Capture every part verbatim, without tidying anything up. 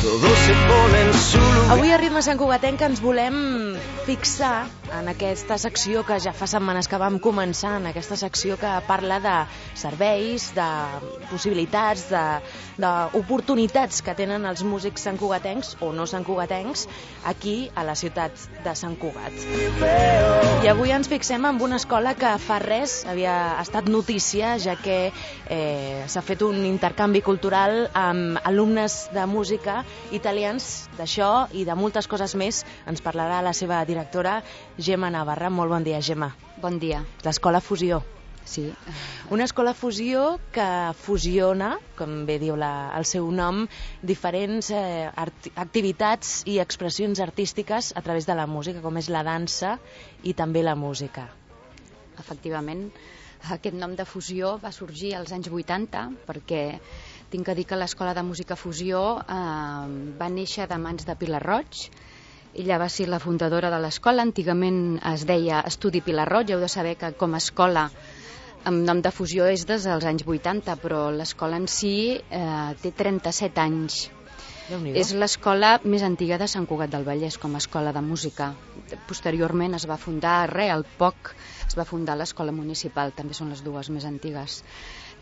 Todos se ponen su lugar. Avui a Ritme Santcugatenc ens volem fixar en aquesta secció que ja fa setmanes que vam començar, en aquesta secció que parla de serveis, de possibilitats, d'oportunitats que tenen els músics santcugatencs o no santcugatencs aquí a la ciutat de Sant Cugat. I avui ens fixem en una escola que fa res havia estat notícia, ja que eh, s'ha fet un intercanvi cultural amb alumnes de música italians. D'això i de moltes coses més ens parlarà la seva directora, Gemma Navarra. Molt bon dia, Gemma. Bon dia. L'escola Fusió. Sí. Una escola Fusió que fusiona, com bé diu la, el seu nom, diferents eh, activitats i expressions artístiques a través de la música, com és la dansa i també la música. Efectivament, aquest nom de Fusió va sorgir als anys vuitanta perquè tinc que dir que l'Escola de Música Fusió eh, va néixer de mans de Pilar Roig. Ella va ser la fundadora de l'escola. Antigament es deia Estudi Pilar Roig. Heu de saber que com a escola amb nom de Fusió és des dels anys vuitanta, però l'escola en si eh, té trenta-set anys. És l'escola més antiga de Sant Cugat del Vallès com a escola de música. Posteriorment es va fundar, re, al poc, es va fundar l'escola municipal, també són les dues més antigues.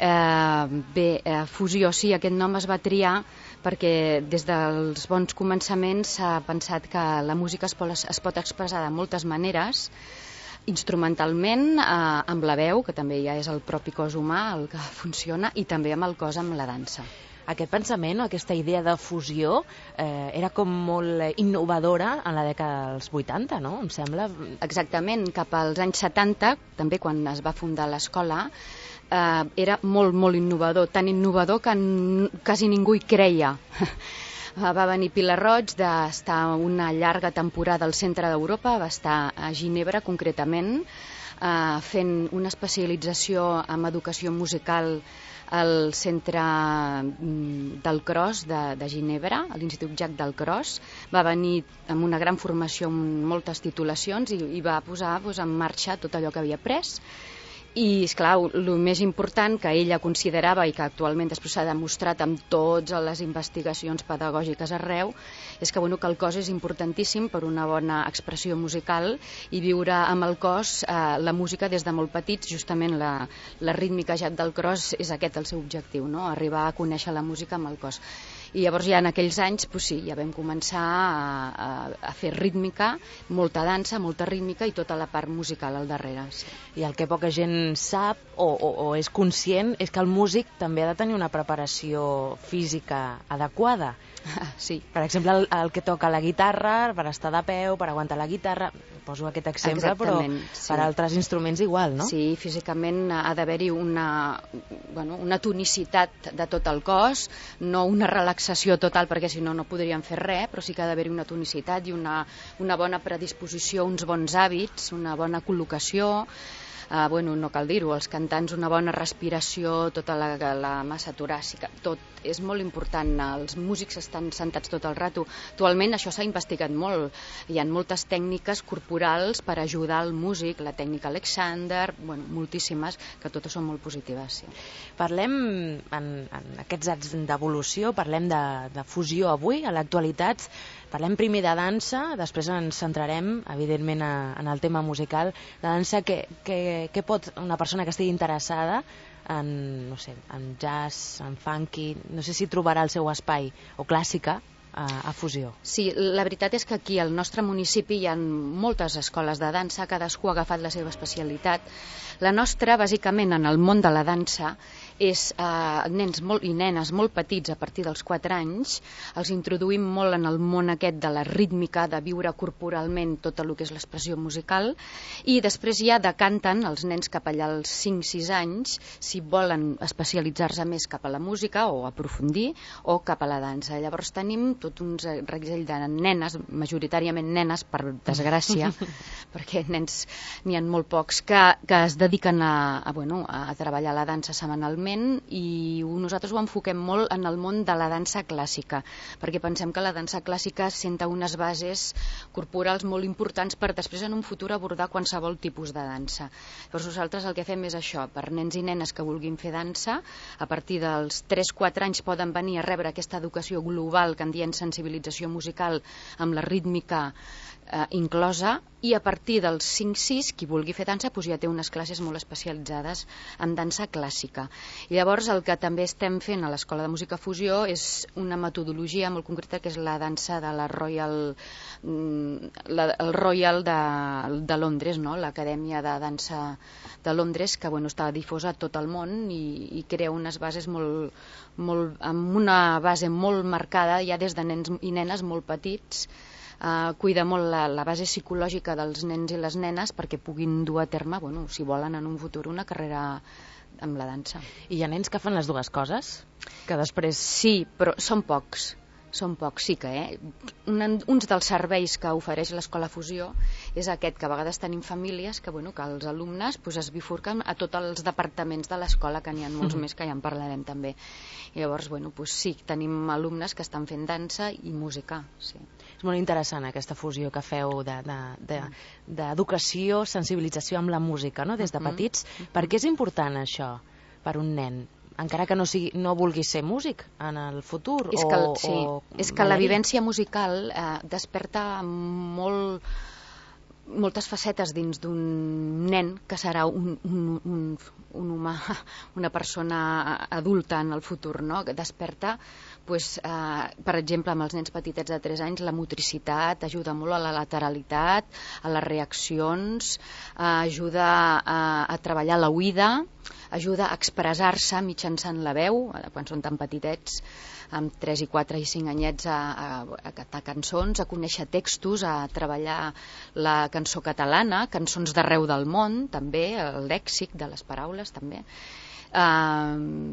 Eh, bé, eh, Fusió, sí, aquest nom es va triar perquè des dels bons començaments s'ha pensat que la música es pot, es pot expressar de moltes maneres, instrumentalment, eh, amb la veu, que també ja és el propi cos humà el que funciona, i també amb el cos, amb la dansa. Aquest pensament o aquesta idea de fusió eh, era com molt innovadora en la dècada dels vuitanta, no? Em sembla. Exactament, cap als anys setanta, també quan es va fundar l'escola, eh, era molt, molt innovador, tan innovador que quasi ningú hi creia. Va venir Pilar Roig d'estar una llarga temporada al centre d'Europa, va estar a Ginebra concretament, eh, fent una especialització en educació musical al centre del Cros de, de Ginebra, a l'Institut Jacques del Cros. Va venir amb una gran formació, amb moltes titulacions, i, i va posar doncs, en marxa tot allò que havia après. I, esclar, el més important que ella considerava i que actualment després s'ha demostrat amb totes les investigacions pedagògiques arreu és que, bueno, que el cos és importantíssim per una bona expressió musical i viure amb el cos eh, la música des de molt petits. Justament la, la rítmica Jacques del Cros és aquest el seu objectiu, no? Arribar a conèixer la música amb el cos. I llavors ja en aquells anys, pues sí, ja vam començar a, a, a fer rítmica, molta dansa, molta rítmica i tota la part musical al darrere. Sí. I el que poca gent sap o, o, o és conscient és que el músic també ha de tenir una preparació física adequada. Sí. Per exemple, el, el que toca la guitarra, per estar de peu, per aguantar la guitarra, poso aquest exemple, exactament, però sí. Per altres instruments igual, no? Sí, físicament ha d'haver-hi una, bueno, una tonicitat de tot el cos, no una relaxació total, perquè si no, no podríem fer res, però sí que ha d'haver-hi una tonicitat i una, una bona predisposició, uns bons hàbits, una bona col·locació. Uh, bueno, no cal dir-ho, els cantants una bona respiració, tota la, la massa toràcica, tot és molt important. Els músics estan sentats tot el rato. Actualment això s'ha investigat molt. Hi ha moltes tècniques corporals per ajudar el músic, la tècnica Alexander, bueno, moltíssimes, que totes són molt positives. Sí. Parlem, en, en aquests anys d'evolució, parlem de, de fusió avui, a l'actualitat. Parlem primer de dansa, després ens centrarem, evidentment, a, en el tema musical. La dansa, que, que, que pot una persona que estigui interessada en, no sé, en jazz, en funky, no sé si trobarà el seu espai, o clàssica, a, a Fusió. Sí, la veritat és que aquí al nostre municipi hi ha moltes escoles de dansa, cadascú ha agafat la seva especialitat. La nostra, bàsicament, en el món de la dansa, és eh, nens molt, i nenes molt petits, a partir dels quatre anys, els introduïm molt en el món aquest de la rítmica, de viure corporalment tot el que és l'expressió musical, i després ja decanten els nens cap allà als cinc sis anys, si volen especialitzar-se més cap a la música o aprofundir, o cap a la dansa. Llavors tenim tot un reguitzell de nenes, majoritàriament nenes, per desgràcia, perquè nens n'hi ha molt pocs, que, que es dediquen a, a, bueno, a treballar la dansa setmanalment, clarament, i nosaltres ho enfoquem molt en el món de la dansa clàssica, perquè pensem que la dansa clàssica senta unes bases corporals molt importants per després en un futur abordar qualsevol tipus de dansa. Llavors nosaltres el que fem és això, per nens i nenes que vulguin fer dansa, a partir dels tres quatre anys poden venir a rebre aquesta educació global que en diem sensibilització musical amb la rítmica eh, inclosa, i a partir dels cinc sis, qui vulgui fer dansa doncs ja té unes classes molt especialitzades en dansa clàssica. I llavors el que també estem fent a l'Escola de Música Fusió és una metodologia molt concreta, que és la dansa de la Royal, la, el Royal de, de Londres, no? L'Acadèmia de Dansa de Londres, que bueno, està difosa a tot el món i, i crea unes bases molt, molt, amb una base molt marcada ja des de nens i nenes molt petits. Uh, cuida molt la, la base psicològica dels nens i les nenes perquè puguin dur a terme, bueno, si volen en un futur, una carrera amb la dansa. I hi ha nens que fan les dues coses? Que després... Sí, però són pocs. Són pocs, sí que, eh? Un, uns dels serveis que ofereix l'Escola Fusió és aquest, que a vegades tenim famílies que, bueno, que els alumnes pues, es bifurquen a tots els departaments de l'escola, que n'hi ha molts mm. més, que ja en parlarem també. I llavors, bueno, pues, sí, tenim alumnes que estan fent dansa i música, sí. És molt interessant aquesta fusió que feu d'educació, de, de, de, sensibilització amb la música, no? Des de petits. Mm-hmm. Per què és important això per un nen? Encara que no, sigui, no vulgui ser músic en el futur? És que, o, sí, o és que la vivència musical eh, desperta molt, moltes facetes dins d'un nen que serà un, un, un, un humà, una persona adulta en el futur, no? Que desperta, pues, eh, per exemple, amb els nens petitets de tres anys, la motricitat, ajuda molt a la lateralitat, a les reaccions, eh, ajuda a, a treballar l'oïda, ajuda a expressar-se mitjançant la veu, quan són tan petitets, amb tres i quatre i cinc anyets, a, a, a cantar cançons, a conèixer textos, a treballar la cançó catalana, cançons d'arreu del món, també, el lèxic de les paraules, també. Uh,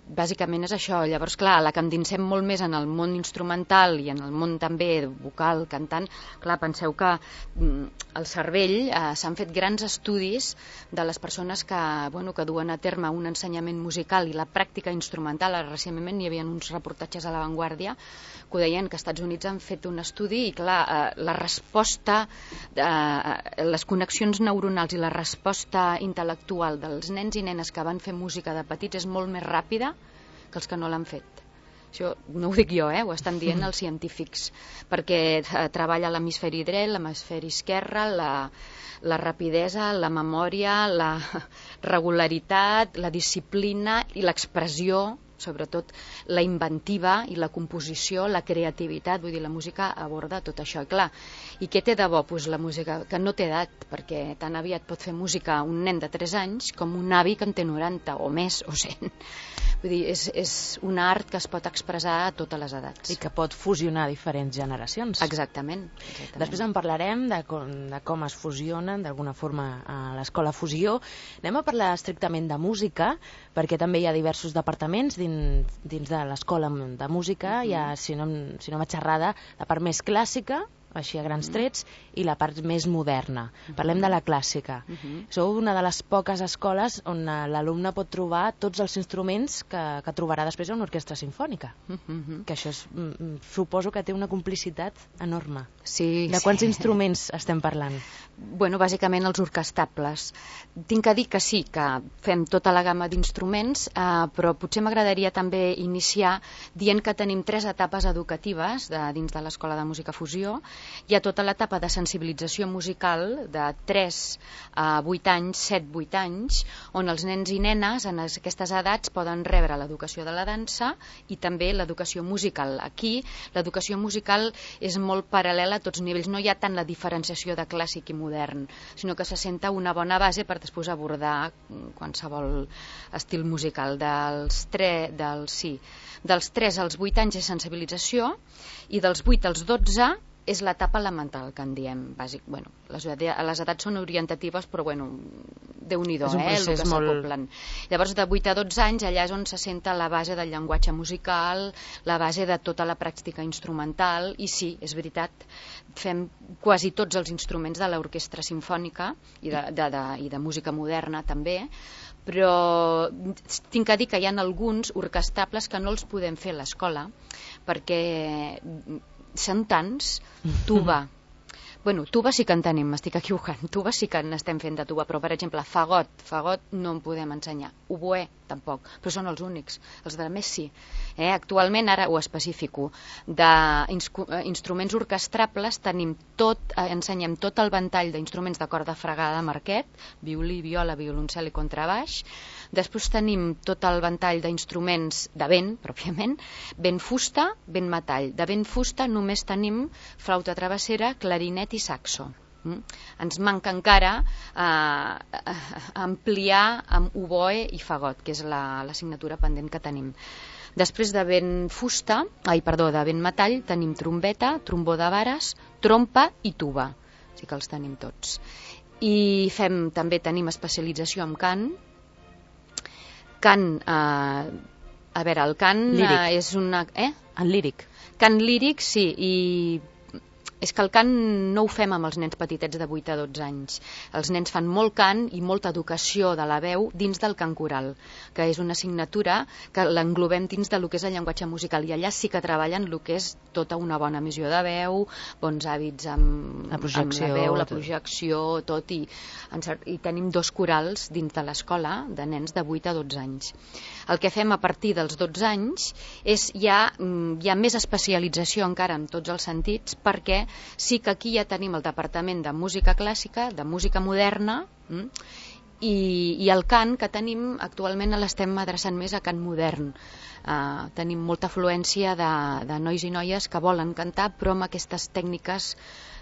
bàsicament és això. Llavors, clar, la que endinsem molt més en el món instrumental i en el món també vocal, cantant, clar, penseu que al cervell eh, s'han fet grans estudis de les persones que, bueno, que duen a terme un ensenyament musical i la pràctica instrumental. Recentment hi havia uns reportatges a La Vanguardia que ho deien, que als Estats Units han fet un estudi i, clar, eh, la resposta, eh, les connexions neuronals i la resposta intel·lectual dels nens i nenes que van fer música de petits és molt més ràpida que els que no l'han fet. Això no ho dic jo, eh? Ho estan dient els científics, perquè eh, treballa l'hemisferi dret, l'hemisferi esquerre, la, la rapidesa, la memòria, la regularitat, la disciplina i l'expressió, sobretot la inventiva i la composició, la creativitat. Vull dir, la música aborda tot això. I clar, i què té de bo? Pues la música, que no té edat, perquè tan aviat pot fer música un nen de tres anys com un avi que en té noranta o més o cent. Vull dir, és, és un art que es pot expressar a totes les edats. I que pot fusionar diferents generacions. Exactament. exactament. Després en parlarem de com, de com es fusionen d'alguna forma a l'Escola Fusió. Anem a parlar estrictament de música, perquè també hi ha diversos departaments dins, dins de l'Escola de Música. Mm-hmm. Hi ha, si no, si no vaig errada, la part més clàssica, així a grans trets, i la part més moderna. Parlem de la clàssica. Uh-huh. Sou una de les poques escoles on l'alumne pot trobar tots els instruments que, que trobarà després a una orquestra sinfònica. Uh-huh. Que això és, suposo que té una complicitat enorme. Sí, de quants sí. instruments estem parlant? Bueno, bàsicament els orquestables. Tinc que dir que sí, que fem tota la gamma d'instruments, eh, però potser m'agradaria també iniciar dient que tenim tres etapes educatives de, dins de l'Escola de Música Fusió. Hi ha tota l'etapa de sensibilització musical de tres a vuit anys, set vuit anys, on els nens i nenes en aquestes edats poden rebre l'educació de la dansa i també l'educació musical. Aquí l'educació musical és molt paral·lela a tots nivells. No hi ha tant la diferenciació de clàssic i modern, sinó que se senta una bona base per després abordar qualsevol estil musical. Dels, tre, dels, sí, dels tres als vuit anys és sensibilització i dels vuit als dotze és l'etapa elemental, que en diem, bàsic. Bueno, les, les edats són orientatives, però bueno, déu-n'hi-do, eh, el que s'acoplen. Molt... Llavors, de vuit a dotze anys, allà és on se senta la base del llenguatge musical, la base de tota la pràctica instrumental, i sí, és veritat, fem quasi tots els instruments de l'orquestra simfònica i de, de, de, i de música moderna també, però tinc a dir que hi ha alguns orquestables que no els podem fer a l'escola, perquè són tants. Tuba, bueno, tuba sí que en tenim, m'estic equivocant, tuba sí que n'estem fent de tuba, però per exemple fagot, fagot no en podem ensenyar, oboè tampoc, però són els únics, els de més sí. Eh, actualment, ara ho especifico, d'instruments orquestrables tenim tot, eh, ensenyem tot el ventall d'instruments de corda fregada de Marquet, violí, viola, violoncel i contrabaix. Després tenim tot el ventall d'instruments de vent, pròpiament, vent fusta, vent metall. De vent fusta només tenim flauta travessera, clarinet i saxo. Mm? Ens manca encara eh, ampliar amb oboè i fagot, que és l'assignatura pendent que tenim. Després de vent fusta, ai, perdó, de vent metall, tenim trombeta, trombó de vares, trompa i tuba. Sí que els tenim tots. I fem, també tenim especialització en cant. Cant, eh, a veure, el cant eh, és una... Eh? En líric. Cant líric, sí, i és que el cant no ho fem amb els nens petitets de vuit a dotze anys. Els nens fan molt cant i molta educació de la veu dins del cant coral, que és una assignatura que l'englobem dins del que és el llenguatge musical, i allà sí que treballen el que és tota una bona emissió de veu, bons hàbits amb la, amb la veu, la projecció, tot, i, i tenim dos corals dins de l'escola de nens de vuit a dotze anys. El que fem a partir dels dotze anys és ja, hi ha més especialització encara en tots els sentits, perquè sí que aquí ja tenim el departament de música clàssica, de música moderna, mm, i, i el cant que tenim actualment l'estem adreçant més a cant modern. Uh, tenim molta afluència de, de nois i noies que volen cantar, però amb aquestes tècniques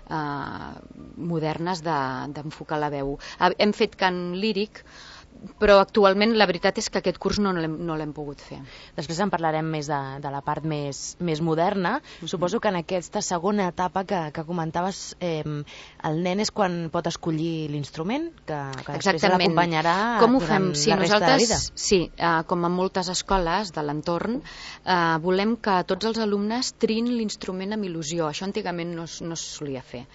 uh, modernes d'enfocar de, la veu. Uh, hem fet cant líric, però actualment la veritat és que aquest curs no l'hem no l'hem pogut fer. Després en parlarem més de, de la part més, més moderna. Mm-hmm. Suposo que en aquesta segona etapa que, que comentaves, eh, el nen és quan pot escollir l'instrument, que, que després l'acompanyarà durant sí, la resta de la vida. Sí, eh, com en moltes escoles de l'entorn, eh, volem que tots els alumnes triïn l'instrument amb il·lusió. Això antigament no, no es solia fer.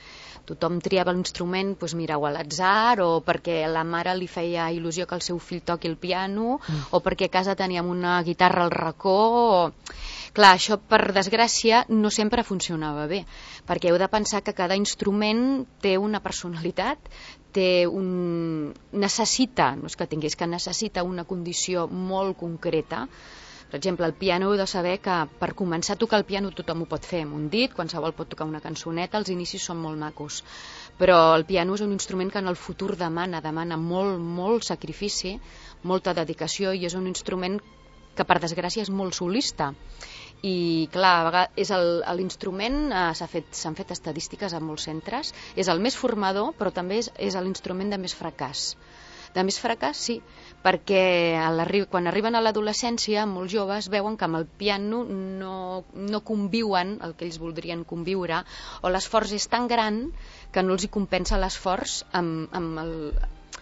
Tothom triava l'instrument, doncs mira, o a l'atzar, o perquè la mare li feia il·lusió que el seu fill toqui el piano, mm. o perquè a casa teníem una guitarra al racó. O... Clar, això, per desgràcia, no sempre funcionava bé, perquè heu de pensar que cada instrument té una personalitat, té un... necessita, no és que tingués, que necessita una condició molt concreta. Per exemple, el piano, heu de saber que per començar a tocar el piano tothom ho pot fer amb un dit, qualsevol pot tocar una cançoneta, els inicis són molt macos, però el piano és un instrument que en el futur demana, demana molt, molt sacrifici, molta dedicació, i és un instrument que per desgràcia és molt solista. I clar, és l'instrument, eh, s'han fet, s'han fet estadístiques en molts centres, és el més formador, però també és, és l'instrument de més fracàs. De més fracàs, sí, perquè quan arriben a l'adolescència, molts joves veuen que amb el piano no, no conviuen el que ells voldrien conviure, o l'esforç és tan gran que no els hi compensa l'esforç amb, amb, el,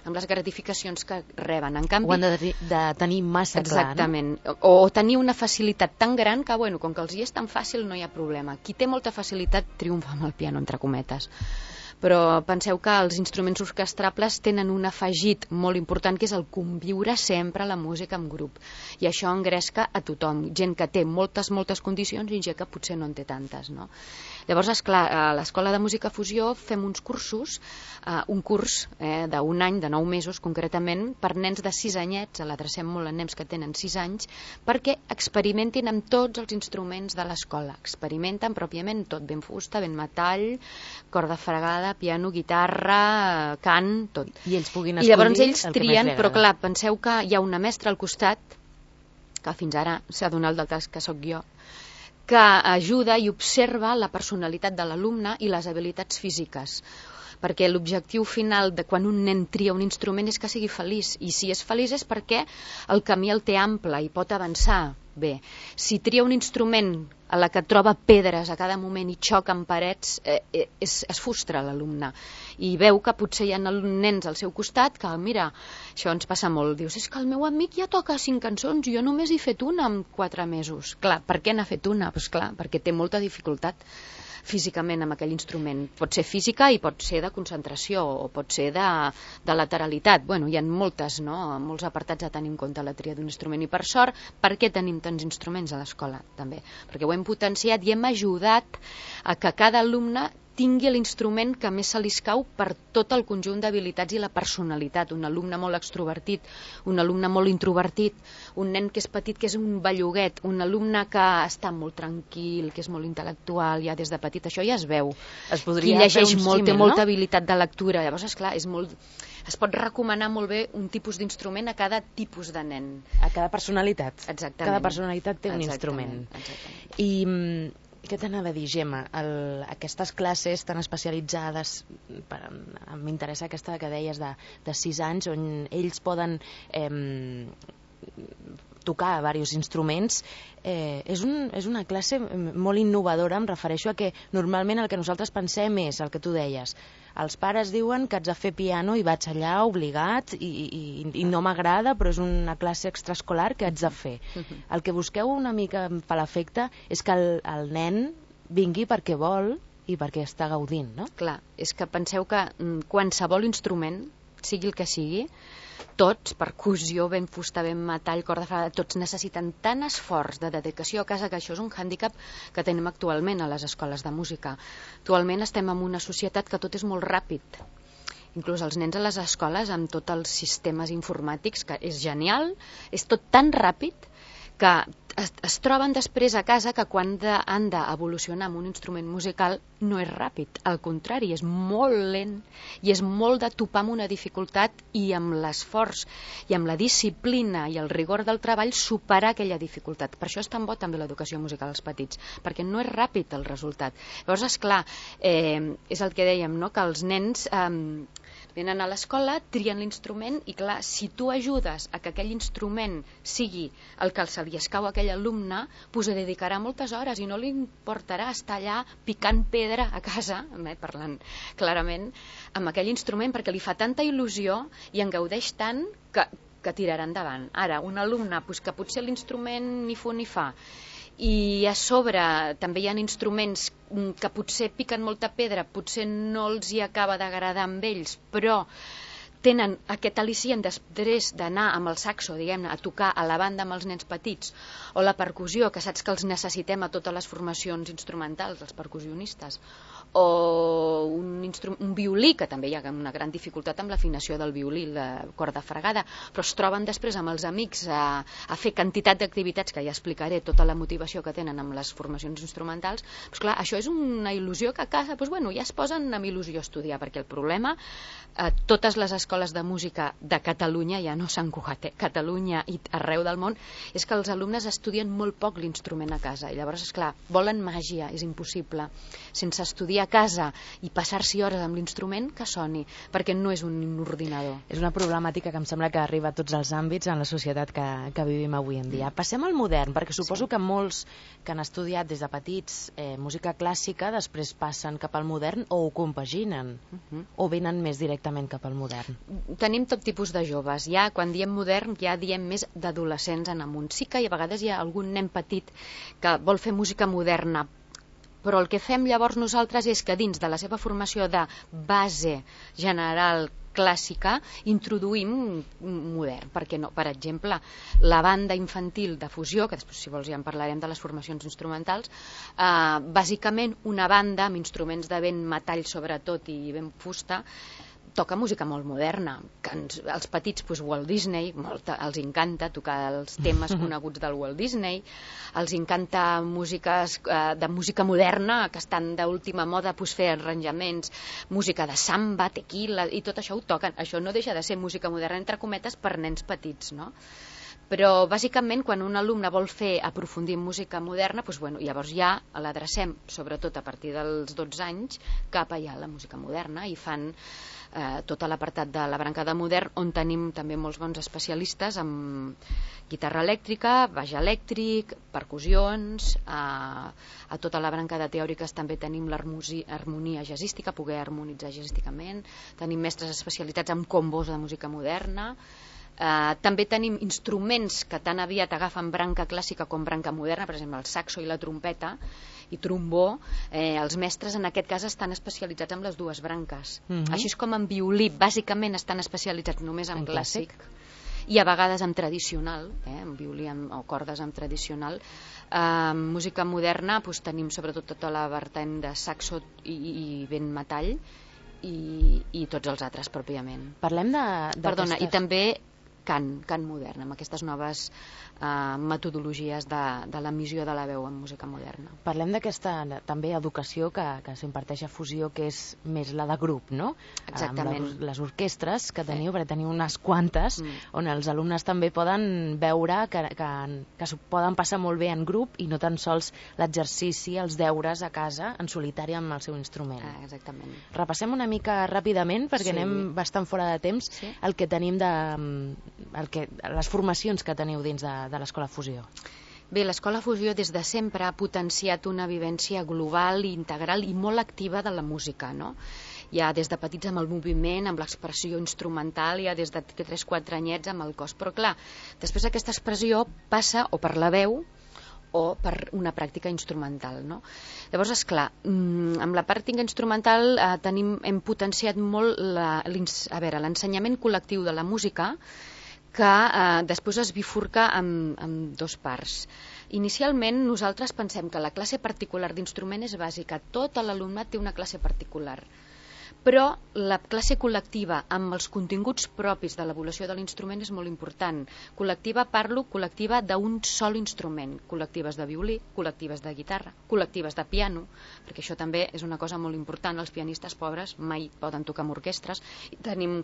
amb les gratificacions que reben. En canvi, ho han de, de tenir massa clar, exactament, no? O, o tenir una facilitat tan gran que, bueno, com que els hi és tan fàcil, no hi ha problema. Qui té molta facilitat triomfa amb el piano, entre cometes. Però penseu que els instruments orquestrables tenen un afegit molt important, que és el conviure sempre la música en grup, i això engresca a tothom, gent que té moltes, moltes condicions i gent que potser no en té tantes, no? Llavors, esclar, a l'Escola de Música Fusió fem uns cursos, eh, un curs eh, d'un any, de nou mesos concretament, per nens de sis anyets, l'adrecem molt a nens que tenen sis anys, perquè experimentin amb tots els instruments de l'escola, experimenten pròpiament tot, ben fusta, ben metall, corda fregada, piano, guitarra, cant, tot. I ells puguin escollir. I llavors ells trien, però clar, penseu que hi ha una mestra al costat, que fins ara s'ha donat el cas que sóc jo, que ajuda i observa la personalitat de l'alumne i les habilitats físiques, perquè l'objectiu final de quan un nen tria un instrument és que sigui feliç, i si és feliç és perquè el camí el té ample i pot avançar. bé. Si tria un instrument a la que troba pedres a cada moment i xoca amb parets, eh, eh, es, es frustra l'alumne i veu que potser hi ha nens al seu costat que, mira, això ens passa molt, dius, és que el meu amic ja toca cinc cançons, jo només he fet una en quatre mesos. Clar, per què n'ha fet una? Pues clar, perquè té molta dificultat físicament amb aquell instrument. Pot ser física i pot ser de concentració o pot ser de, de lateralitat. Bueno, hi ha moltes, no? molts apartats a tenir en compte la tria d'un instrument. I per sort, per què tenim tants instruments a l'escola? També perquè ho hem potenciat i hem ajudat a que cada alumne tingui l'instrument que més se li escau per tot el conjunt d'habilitats i la personalitat. Un alumne molt extrovertit, un alumne molt introvertit, un nen que és petit, que és un belluguet, un alumne que està molt tranquil, que és molt intel·lectual, ja des de petit, això ja es veu. Es podria Qui llegeix fer un molt, té símil, molta no? habilitat de lectura. Llavors, esclar, és molt... es pot recomanar molt bé un tipus d'instrument a cada tipus de nen. A cada personalitat. Exactament. Cada personalitat té un Exactament, instrument. exactament. I mm, què t'anava a dir, Gemma? El, aquestes classes tan especialitzades, per, m'interessa aquesta que deies de, de sis anys, on ells poden eh, tocar diversos instruments, eh, és, un, és una classe molt innovadora. Em refereixo a que normalment el que nosaltres pensem és el que tu deies. Els pares diuen que haig de fer piano i vaig allà obligat i, i, i no m'agrada, però és una classe extraescolar que haig de fer. El que busqueu una mica per l'efecte és que el, el nen vingui perquè vol i perquè està gaudint, no? Clar, és que penseu que mm, qualsevol instrument, sigui el que sigui, tots, percussió, ben fusta, ben metall, corda fregada, tots necessiten tant esforç de dedicació a casa, que això és un hàndicap que tenim actualment a les escoles de música. Actualment estem en una societat que tot és molt ràpid. Inclús els nens a les escoles, amb tots els sistemes informàtics, que és genial, és tot tan ràpid que es, es troben després a casa que quan de, han d'evolucionar amb un instrument musical no és ràpid, al contrari, és molt lent i és molt de topar amb una dificultat i amb l'esforç i amb la disciplina i el rigor del treball superar aquella dificultat. Per això és tan bo també l'educació musical als petits, perquè no és ràpid el resultat. Llavors, esclar, eh, és el que dèiem, no? Que els nens eh, venen a l'escola, trien l'instrument i clar, si tu ajudes a que aquell instrument sigui el que se li escau a aquell alumne, pues hi dedicarà moltes hores i no li importarà estar allà picant pedra a casa, eh, parlant clarament, amb aquell instrument, perquè li fa tanta il·lusió i en gaudeix tant que, que tirarà endavant. Ara, un alumne pues, que potser l'instrument ni fu ni fa, i a sobre també hi ha instruments que potser piquen molta pedra, potser no els hi acaba d'agradar amb ells, però tenen aquest al·licient després d'anar amb el saxo, diguem-ne, a tocar a la banda amb els nens petits, o la percussió, que saps que els necessitem a totes les formacions instrumentals, els percussionistes, o un, un violí, que també hi ha una gran dificultat amb l'afinació del violí, la corda fregada, però es troben després amb els amics a, a fer quantitat d'activitats, que ja explicaré tota la motivació que tenen amb les formacions instrumentals. Pues clar, això és una il·lusió que a casa pues bueno, ja es posen amb il·lusió a estudiar, perquè el problema, eh, totes les escoles de música de Catalunya, ja no Sant Cugat, eh, Catalunya i arreu del món, és que els alumnes estudien molt poc l'instrument a casa, i llavors, esclar, volen màgia, és impossible, sense estudiar a casa i passar-s'hi hores amb l'instrument, que soni, perquè no és un ordinador. És una problemàtica que em sembla que arriba a tots els àmbits en la societat que, que vivim avui en dia. Passem al modern, perquè suposo sí. que molts que han estudiat des de petits eh, música clàssica després passen cap al modern o ho compaginen, uh -huh. o venen més directament cap al modern. Tenim tot tipus de joves. Ja quan diem modern ja diem més d'adolescents en amunt. Sí que a vegades hi ha algun nen petit que vol fer música moderna, però el que fem llavors nosaltres és que dins de la seva formació de base general clàssica introduïm modern, perquè no? Per exemple, la banda infantil de fusió, que després si vols ja en parlarem de les formacions instrumentals, eh, bàsicament una banda amb instruments de vent metall sobretot i ben fusta, toca música molt moderna, que ens, els petits pues, Walt Disney, molt, els encanta tocar els temes coneguts del Walt Disney, els encanta músiques eh, de música moderna que estan d'última moda, pues, fer arranjaments, música de samba, tequila i tot això ho toquen. Això no deixa de ser música moderna entre cometes per nens petits, no? Però, bàsicament, quan un alumne vol fer aprofundir en música moderna, doncs, bueno, llavors ja l'adrecem, sobretot a partir dels dotze anys, cap allà a la música moderna, i fan eh, tot l'apartat de la branca de modern, on tenim també molts bons especialistes en guitarra elèctrica, baix elèctric, percussions, a, a tota la branca de teòriques també tenim l'harmonia jazzística, poder harmonitzar jazzísticament, tenim mestres especialitzats en combos de música moderna. Uh, també tenim instruments que tan aviat agafen branca clàssica com branca moderna, per exemple el saxo i la trompeta i trombó. Eh, els mestres en aquest cas estan especialitzats en les dues branques. Mm-hmm. Així és com en violí bàsicament estan especialitzats només en, en clàssic, clàssic i a vegades en tradicional, eh, en violí en, o cordes en tradicional. Uh, música moderna doncs, tenim sobretot tota la vertent de saxo i, i vent metall i, i tots els altres pròpiament. Parlem de, Perdona, i també cant, cant modern, amb aquestes noves uh, metodologies de, de l'emissió de la veu en música moderna. Parlem d'aquesta també educació que, que s'imparteix a Fusió, que és més la de grup, no? Exactament. Amb les, les orquestres que teniu, sí. perquè teniu unes quantes, mm. on els alumnes també poden veure que, que, que s'ho poden passar molt bé en grup i no tan sols l'exercici, els deures a casa, en solitari amb el seu instrument. Ah, exactament. Repassem una mica ràpidament, perquè sí. anem bastant fora de temps, sí. el que tenim de... El que, les formacions que teniu dins de, de l'Escola Fusió. Bé, l'Escola Fusió des de sempre ha potenciat una vivència global i integral i molt activa de la música, no? Ja des de petits amb el moviment, amb l'expressió instrumental, ja des de tres quatre anyets amb el cos. Però clar, després aquesta expressió passa o per la veu o per una pràctica instrumental, no? Llavors, esclar, amb la pràctica instrumental eh, tenim, hem potenciat molt la, a veure, l'ensenyament col·lectiu de la música, que eh, després es bifurca en, en dos parts. Inicialment nosaltres pensem que la classe particular d'instrument és bàsica, tot l'alumnat té una classe particular, però la classe col·lectiva amb els continguts propis de l'evolució de l'instrument és molt important. Col·lectiva, parlo, col·lectiva d'un sol instrument, col·lectives de violí, col·lectives de guitarra, col·lectives de piano, perquè això també és una cosa molt important, els pianistes pobres mai poden tocar amb orquestres. Tenim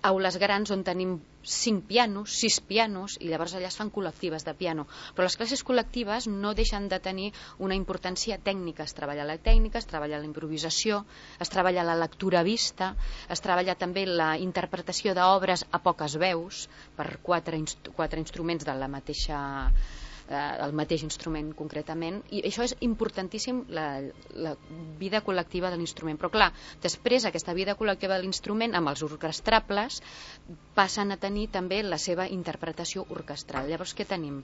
aules grans on tenim cinc pianos, sis pianos, i llavors allà es fan col·lectives de piano. Però les classes col·lectives no deixen de tenir una importància tècnica. Es treballa la tècnica, es treballa la improvisació, es treballa la lectura vista, es treballa també la interpretació d'obres a poques veus per quatre, inst quatre instruments de la mateixa eh, el mateix instrument concretament, i això és importantíssim, la, la vida col·lectiva de l'instrument. Però clar, després aquesta vida col·lectiva de l'instrument amb els orquestrables passen a tenir també la seva interpretació orquestral. Llavors què tenim?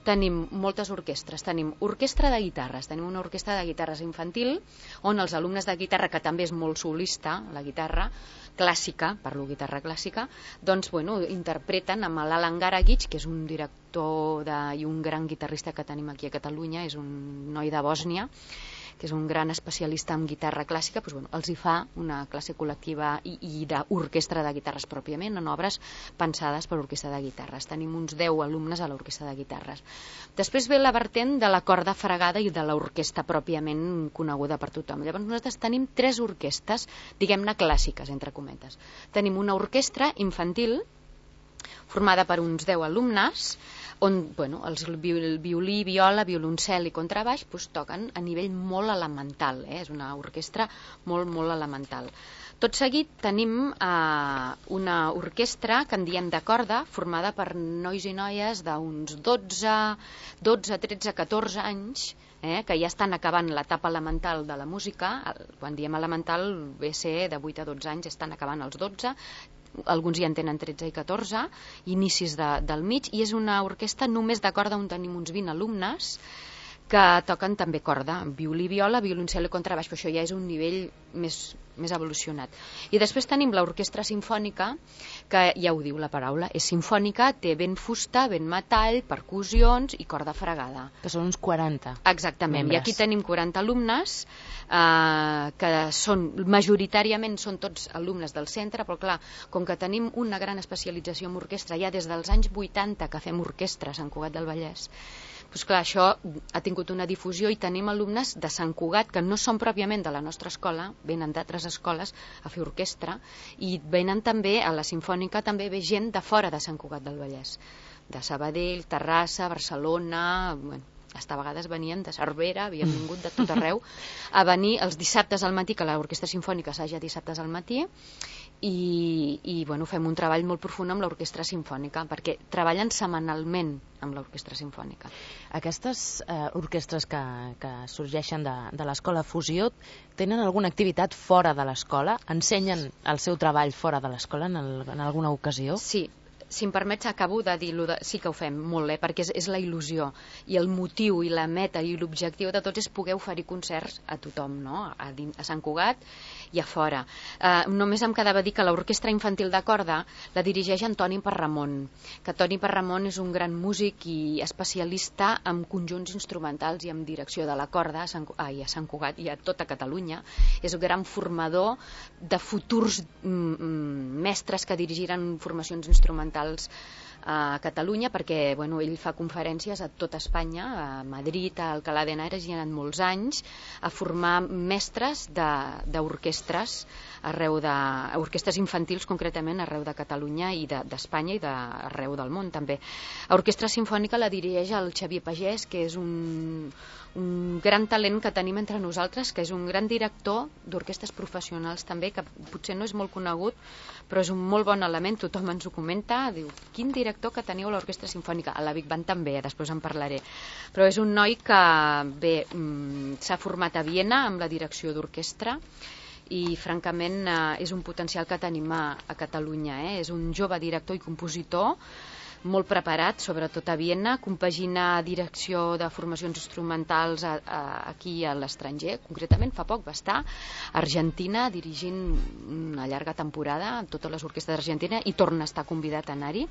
Tenim moltes orquestres, tenim orquestra de guitarres, tenim una orquestra de guitarres infantil on els alumnes de guitarra, que també és molt solista, la guitarra clàssica, parlo guitarra clàssica, doncs bueno, interpreten amb l'Alan Garagic, que és un director de, i un gran guitarrista que tenim aquí a Catalunya, és un noi de Bòsnia, que és un gran especialista en guitarra clàssica, doncs, bueno, els hi fa una classe col·lectiva i, i d'orquestra de guitarres pròpiament, en obres pensades per orquestra de guitarres. Tenim uns deu alumnes a l'orquestra de guitarres. Després ve la vertent de la corda fregada i de l'orquestra pròpiament coneguda per tothom. Llavors nosaltres tenim tres orquestres, diguem-ne clàssiques, entre cometes. Tenim una orquestra infantil formada per uns deu alumnes, on bueno, els violí, viola, violoncel i contrabaix pues, toquen a nivell molt elemental, eh? És una orquestra molt, molt elemental. Tot seguit tenim eh, una orquestra que en diem de corda, formada per nois i noies d'uns dotze, dotze, tretze, catorze anys, eh, que ja estan acabant l'etapa elemental de la música. Quan diem elemental ve a ser de vuit a dotze anys, estan acabant els dotze, alguns ja en tenen tretze i catorze, inicis de, del mig, i és una orquestra només de corda on tenim uns vint alumnes que toquen també corda, violí, viola, violoncel i contrabaix, però això ja és un nivell més, més evolucionat. I després tenim l'orquestra simfònica, que ja ho diu la paraula, és simfònica, té vent fusta, vent metall, percussions i corda fregada. Que són uns quaranta. Exactament, membres. I aquí tenim quaranta alumnes, eh, que són, majoritàriament són tots alumnes del centre, però clar, com que tenim una gran especialització en orquestra, ja des dels anys vuitanta que fem orquestra a Sant Cugat del Vallès, doncs clar, això ha tingut una difusió i tenim alumnes de Sant Cugat que no són pròpiament de la nostra escola, venen d'altres escoles a fer orquestra, i venen també a la Simfònica, també ve gent de fora de Sant Cugat del Vallès. de Sabadell, Terrassa, Barcelona, bueno, hasta a vegades venien de Cervera, havien vingut de tot arreu a venir els dissabtes al matí, que l'Orquestra Simfònica s'haja dissabtes al matí, i, i bueno, fem un treball molt profund amb l'Orquestra Simfònica, perquè treballen setmanalment amb l'Orquestra Simfònica. Aquestes eh, orquestres que, que sorgeixen de, de l'Escola Fusió tenen alguna activitat fora de l'escola? Ensenyen el seu treball fora de l'escola en, el, en alguna ocasió? Sí. Si em permets, acabo de dir-lo, de... sí que ho fem molt, eh? Perquè és, és la il·lusió, i el motiu, i la meta, i l'objectiu de tots és poder oferir concerts a tothom, no? A, a Sant Cugat i a fora. Eh, només em quedava dir que l'Orquestra Infantil de Corda la dirigeix Antoni Parramon, que Toni Parramon és un gran músic i especialista en conjunts instrumentals i en direcció de la corda a Sant, ai, a Sant Cugat i a tota Catalunya. És un gran formador de futurs mm, mestres que dirigiran formacions instrumentals a Catalunya, perquè bueno, ell fa conferències a tota Espanya, a Madrid, a Alcalá de Henares, i ha anat molts anys a formar mestres d'orquestres arreu de, orquestres infantils concretament arreu de Catalunya i d'Espanya de, i d'arreu del món també. L'Orquestra Simfònica la dirigeix el Xavier Pagès, que és un, un gran talent que tenim entre nosaltres, que és un gran director d'orquestres professionals també, que potser no és molt conegut, però és un molt bon element, tothom ens ho comenta, diu, quin director que teniu a l'Orquestra Simfònica, a la Big Band també, després en parlaré, però és un noi que bé, s'ha format a Viena amb la direcció d'orquestra, i francament eh, és un potencial que tenim a, a Catalunya, eh? És un jove director i compositor molt preparat, sobretot a Viena, compagina direcció de formacions instrumentals a, a, aquí a l'estranger, concretament fa poc va estar a Argentina dirigint una llarga temporada amb totes les orquestres d'Argentina i torna a estar convidat a anar-hi,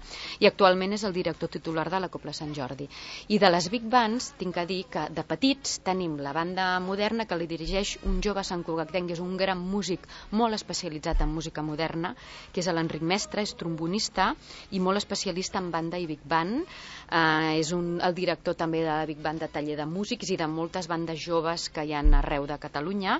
i actualment és el director titular de la Cobla Sant Jordi. I de les Big Bands tinc a dir que de petits tenim la banda moderna que li dirigeix un jove santcugatenc, és un gran músic molt especialitzat en música moderna, que és l'Enric Mestre, és trombonista i molt especialista en banda i Big Band, eh, és un, el director també de la Big Band de taller de músics i de moltes bandes joves que hi ha arreu de Catalunya,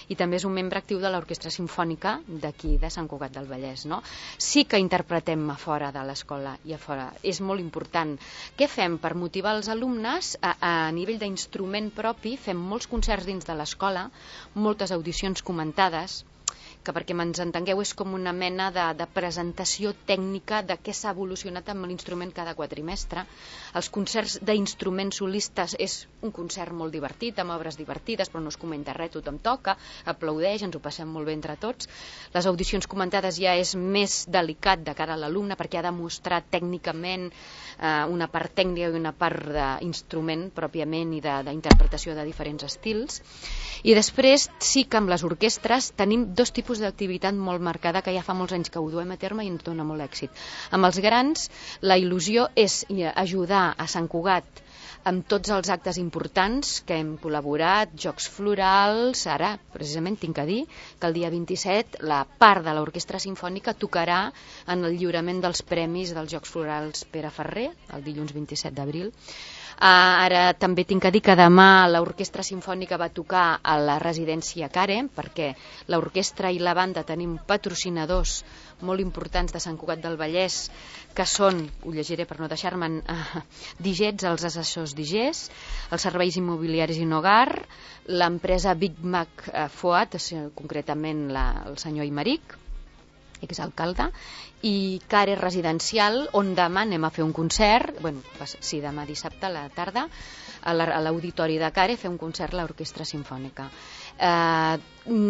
i també és un membre actiu de l'Orquestra Simfònica d'aquí, de Sant Cugat del Vallès, no? Sí que interpretem a fora de l'escola i a fora, és molt important. Què fem per motivar els alumnes? A, a nivell d'instrument propi fem molts concerts dins de l'escola, moltes audicions comentades, que perquè ens entengueu és com una mena de, de presentació tècnica de què s'ha evolucionat amb l'instrument cada quatrimestre. Els concerts d'instruments solistes és un concert molt divertit, amb obres divertides, però no es comenta res, tothom toca, aplaudeix, ens ho passem molt bé entre tots. Les audicions comentades ja és més delicat de cara a l'alumne, perquè ha de mostrar tècnicament eh, una part tècnica i una part d'instrument pròpiament i d'interpretació de, de diferents estils. I després sí que amb les orquestres tenim dos tipus d'activitat molt marcada que ja fa molts anys que ho duem a terme i ens dona molt èxit. Amb els grans la il·lusió és ajudar a Sant Cugat amb tots els actes importants que hem col·laborat, jocs florals, ara precisament tinc a dir que el dia vint-i-set la part de l'Orquestra Simfònica tocarà en el lliurament dels premis dels Jocs Florals Pere Ferrer, el dilluns vint-i-set d'abril. Uh, ara també tinc a dir que demà l'Orquestra Simfònica va tocar a la residència Karen, perquè l'orquestra i la banda tenim patrocinadors molt importants de Sant Cugat del Vallès, que són, ho llegiré per no deixar-me'n, uh, Digets, els assessors Digés, els serveis immobiliaris i Nogar, l'empresa Big Mac uh, Foat, concretament la, el senyor Imeric, exalcalde, i Care Residencial, on demà anem a fer un concert, bueno, sí, demà dissabte a la tarda, a l'auditori de Care, fer un concert a l'Orquestra Simfònica. Eh,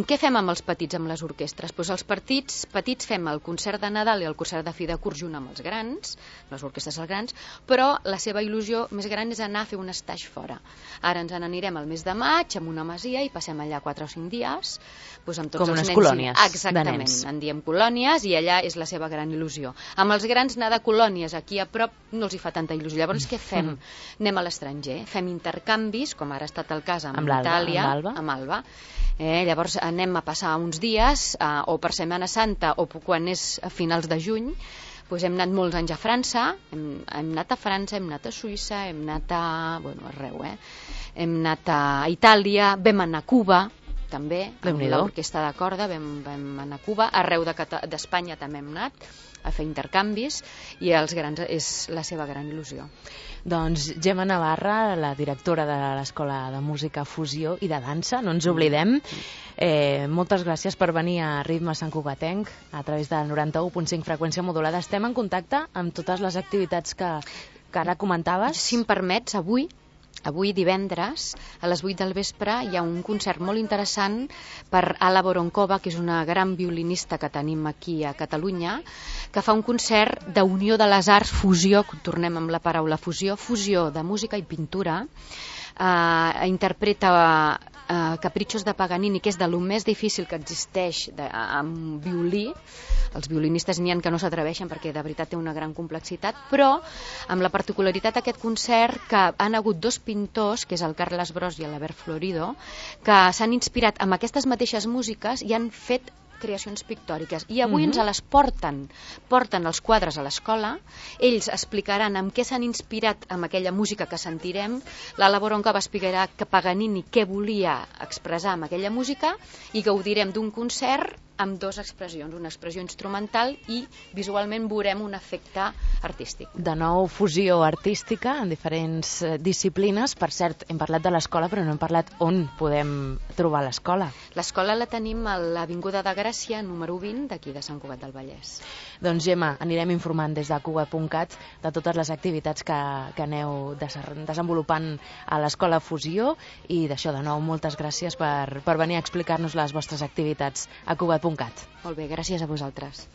què fem amb els petits, amb les orquestres? Pues els petits, petits fem el concert de Nadal i el concert de fi de curs junt amb els grans, les orquestres dels grans, però la seva il·lusió més gran és anar a fer un estatge fora. Ara ens n'anirem al mes de maig amb una masia i passem allà quatre o cinc dies, pues amb tots com els unes nens colònies i... Exactament, de nens. En diem colònies i allà és la seva gran il·lusió. Amb els grans anar de colònies aquí a prop no els hi fa tanta il·lusió. Llavors què fem? Anem a l'estranger, fem intercanvis, com ara ha estat el cas amb, amb Itàlia, amb amb Alba. Eh, llavors anem a passar uns dies, eh, o per Setmana Santa o quan és a finals de juny. Pues hem anat molts anys a França, hem, hem anat a França, hem anat a Suïssa, hem anat a... bueno, arreu, eh? Hem anat a Itàlia, vam anar a Cuba, també, amb Déu-n'hi-do. l'orquestra de corda vam, vam anar a Cuba, arreu d'Espanya també hem anat a fer intercanvis, i els grans és la seva gran il·lusió. Doncs Gemma Navarra, la directora de l'Escola de Música, Fusió i de Dansa, no ens oblidem. Eh, moltes gràcies per venir a Ritme Sant Cugatenc a través del noranta-u punt cinc freqüència modulada. Estem en contacte amb totes les activitats que, que ara comentaves. Si em permets, avui Avui divendres, a les vuit del vespre, hi ha un concert molt interessant per Ala Voronkova, que és una gran violinista que tenim aquí a Catalunya, que fa un concert d'unió de les arts, fusió, tornem amb la paraula fusió, fusió de música i pintura. Uh, interpreta uh, Caprichos de Paganini, que és de lo més difícil que existeix de, amb violí. Els violinistes n'hi ha que no s'atreveixen perquè de veritat té una gran complexitat, però amb la particularitat d'aquest concert que han hagut dos pintors, que és el Carles Bros i l'Albert Florido, que s'han inspirat amb aquestes mateixes músiques i han fet creacions pictòriques, i avui mm-hmm. ens les porten porten els quadres a l'escola. Ells explicaran amb què s'han inspirat amb aquella música que sentirem. L'Ala Voronkova explicarà que Paganini què volia expressar amb aquella música, i gaudirem d'un concert amb dues expressions, una expressió instrumental i visualment veurem un efecte artístic. De nou, fusió artística en diferents disciplines. Per cert, hem parlat de l'escola, però no hem parlat on podem trobar l'escola. L'escola la tenim a l'Avinguda de Gràcia, número vint, d'aquí de Sant Cugat del Vallès. Doncs Gemma, anirem informant des de cugat punt cat de totes les activitats que, que aneu desenvolupant a l'escola Fusió, i d'això, de nou, moltes gràcies per, per venir a explicar-nos les vostres activitats a cugat punt cat. Molt bé, gràcies a vosaltres.